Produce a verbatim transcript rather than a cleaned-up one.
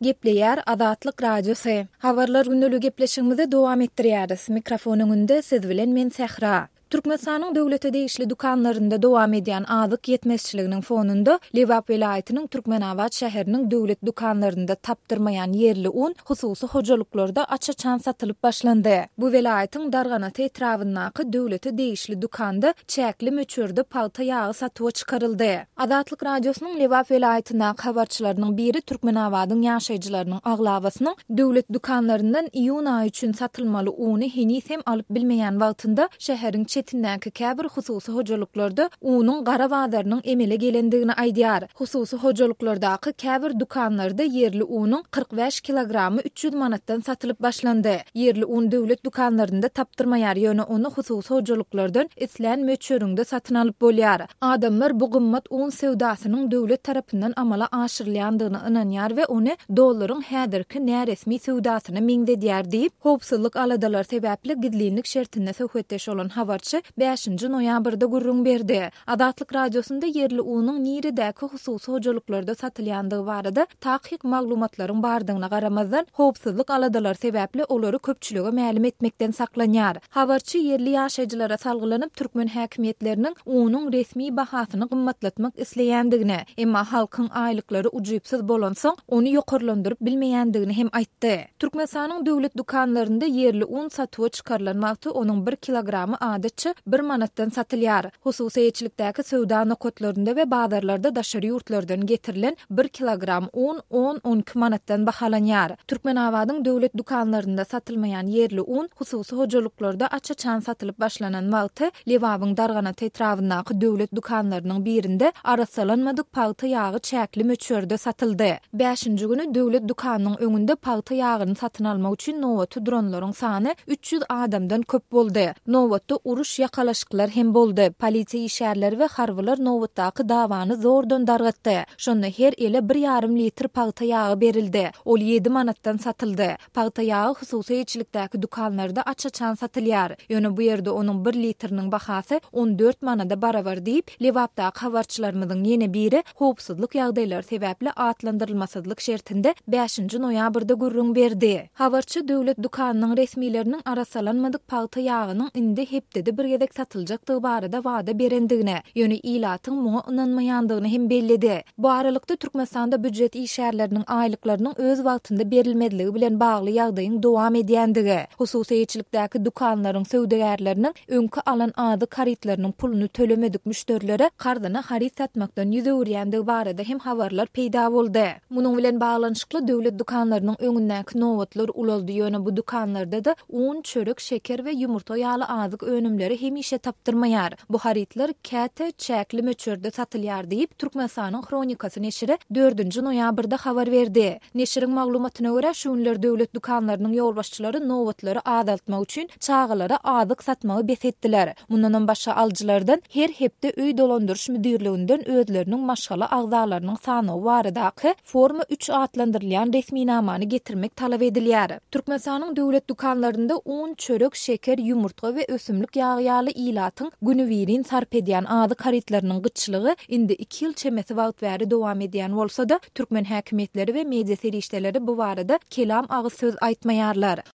Gepleýär Azatlyk Radiosy. Habarlar gündeligi gepleşigimizi dowam etdirýäris. Mikrofon öňünde siz bilen men Sähra. Türkmenistanyň döwlete degişli dükanlarynda dowam edýän azyk ýetmezçiliginiň fonunda Lebap welaýatynyň Türkmenabat şäheriniň döwlet dükanlarynda tapdyrmaýan ýerli un hususy hojalyklarda aç-açan satylyp başlandy. Bu welaýatyň Darganata etrabyndaky döwlete degişli dükanda çäkli möçberde pagta ýagy satuwa çykaryldy. Azatlyk Radiosynyň Lebap welaýatyndaky habarçylarynyň biri Türkmenabadyň ýaşaýjylarynyň aglabasynyň döwlet dükanlaryndan iýun aýy üçin satylmaly uny heniz hem alyp bilmeýän wagtynda şäheriň çetindäki käbir hususy hojalyklarda unuň gara bazarynyň emele gelendigini aýdýar. Hususy hojalyklardaky käbir dükanlarda ýerli unuň kyrk bäş kilogramy üç ýüz manatdan satylyp başlandy. Ýerli un döwlet dükanlarynda tapdyrmaýar, ýöne ony hususy hojalyklardan islän möçberinde satyn alyp bolýar. Adamlar bu gymmat un söwdasynyň döwlet tarapyndan amala aşyrylýandygyna ynanýar we ony dollaryň häzirki näresmi söwdasyna meňzedýär diýip, howpsuzlyk aladalary sebäpli gizlinlik şertinde söhbetdeş bolan habarçy bäşinji noýabrda gürrüň berdi. Azatlyk Radiosynda ýerli unuň niredäki hususy hojalyklarda satylýandygy barada takyk maglumatlaryň bardygyna garamazdan, howpsuzlyk aladalary sebäpli olary köpçülige mälim etmekden saklanýar. Habarçy ýerli ýaşaýjylara salgylanyp, türkmen häkimiýetleriniň unuň resmi bahasyny gymmatlatmak isleýändigini, emma halkyň aýlyklary ujypsyz bolansoň, ony ýokarlandyryp bilmeýändigini hem aýtdy. Türkmenistanyň döwlet dükanlarynda ýerli un satuwa çykarylan wagty onuň bir kilogramy adatça bir manatdan satylýar. Hususy eýeçilikdäki söwda nokatlarynda we bazarlarda daşary ýurtlardan getirilen bir kilogram un on-on iki manatdan bahalanýar. Türkmenabadyň döwlet dükanlarynda satylmaýan ýerli un hususy hojalyklarda aç-açan satylyp başlanan wagty Lebabyň Darganata etrabyndaky döwlet dükanlarynyň birinde arassalanmadyk pagta ýagy çäkli möçberde satyldy. Bäşinji güni döwlet dükanynyň öňünde pagta ýagyny satyn almak üçin nobaty duranlaryň sany üç ýüz adamdan köp boldy. Nobatda uruş ýakalaşyklar hem boldy. Polisiýa işgärleri we harbylar nobatdaky dawany zordan dargatdy. Şonda her ele bir ýarym litr pagta ýagy berildi. Ol ýedi manatdan satyldy. Pagta ýagy hususy eýeçilikdäki dükanlarda aç-açan satylýar. Ýöne bu ýerde onuň bir litriniň bahasy on dört manada barabar diýip, Lebapdaky habarçylarymyzyň ýene biri howpsuzlyk ýagdaýlary sebäpli atlandyrylmasyzlyk şertinde bäşinji noýabrda gürrüň berdi. Habarçy döwlet dükanynyň resmileriniň arassalanmadyk pagta ýagynyň indi hepdede bir gezek satyljakdygy barada wada berendigini, ýöne ilatyň muňa ynanmaýandygyny hem belledi. Bu aralykda Türkmenistanda býujet işgärleriniň aýlyklarynyň öz wagtynda berilmezligi bilen bagly ýagdaýyň dowam edýändigi, hususy eýeçilikdäki dükanlaryň söwdagärleriniň öňki alan azyk harytlarynyň puluny tölemedik müşderilere karzyna haryt satmakdan ýüz öwürýändigi barada hem habarlar peýda boldy. Munuň bilen baglanyşykly döwlet dükanlarynyň öňündäki nobatlar ulaldy, ýöne bu dükanlarda-da un, çörek, şeker we ýumurtga ýaly azyk önümleri hemişe tapdyrmaýar. Bu harytlar käte çäkli möçberde satylýar diýip, Türkmenistanyň Hronikasy neşiri dördünji noýabrda habar berdi. Neşiriň maglumatyna görä, şu günler döwlet dükanlarynyň ýolbaşçylary nobatlary azaltmak üçin çagalara azyk satmagy bes etdiler. Mundanam başga alyjylardan her hepde öý dolandyryş müdirliginden özleriniň maşgala agzalarynyň sanawy baradaky forma üç atlandyrylýan resminamany getirmek talap edilýär. Türkmenistanyň döwlet dükanlarynda un, çörek, şeker, ýumurtga we ösümlik ýagy ýaly ilatyň günübirin sarp edýän azyk harytlarynyň gytçylygy indi iki ýyl çemesi wagt bäri dowam edýän bolsa-da, türkmen häkimiýetleri we media serişdeleri bu barada kelam agyz söz aýtmaýarlar.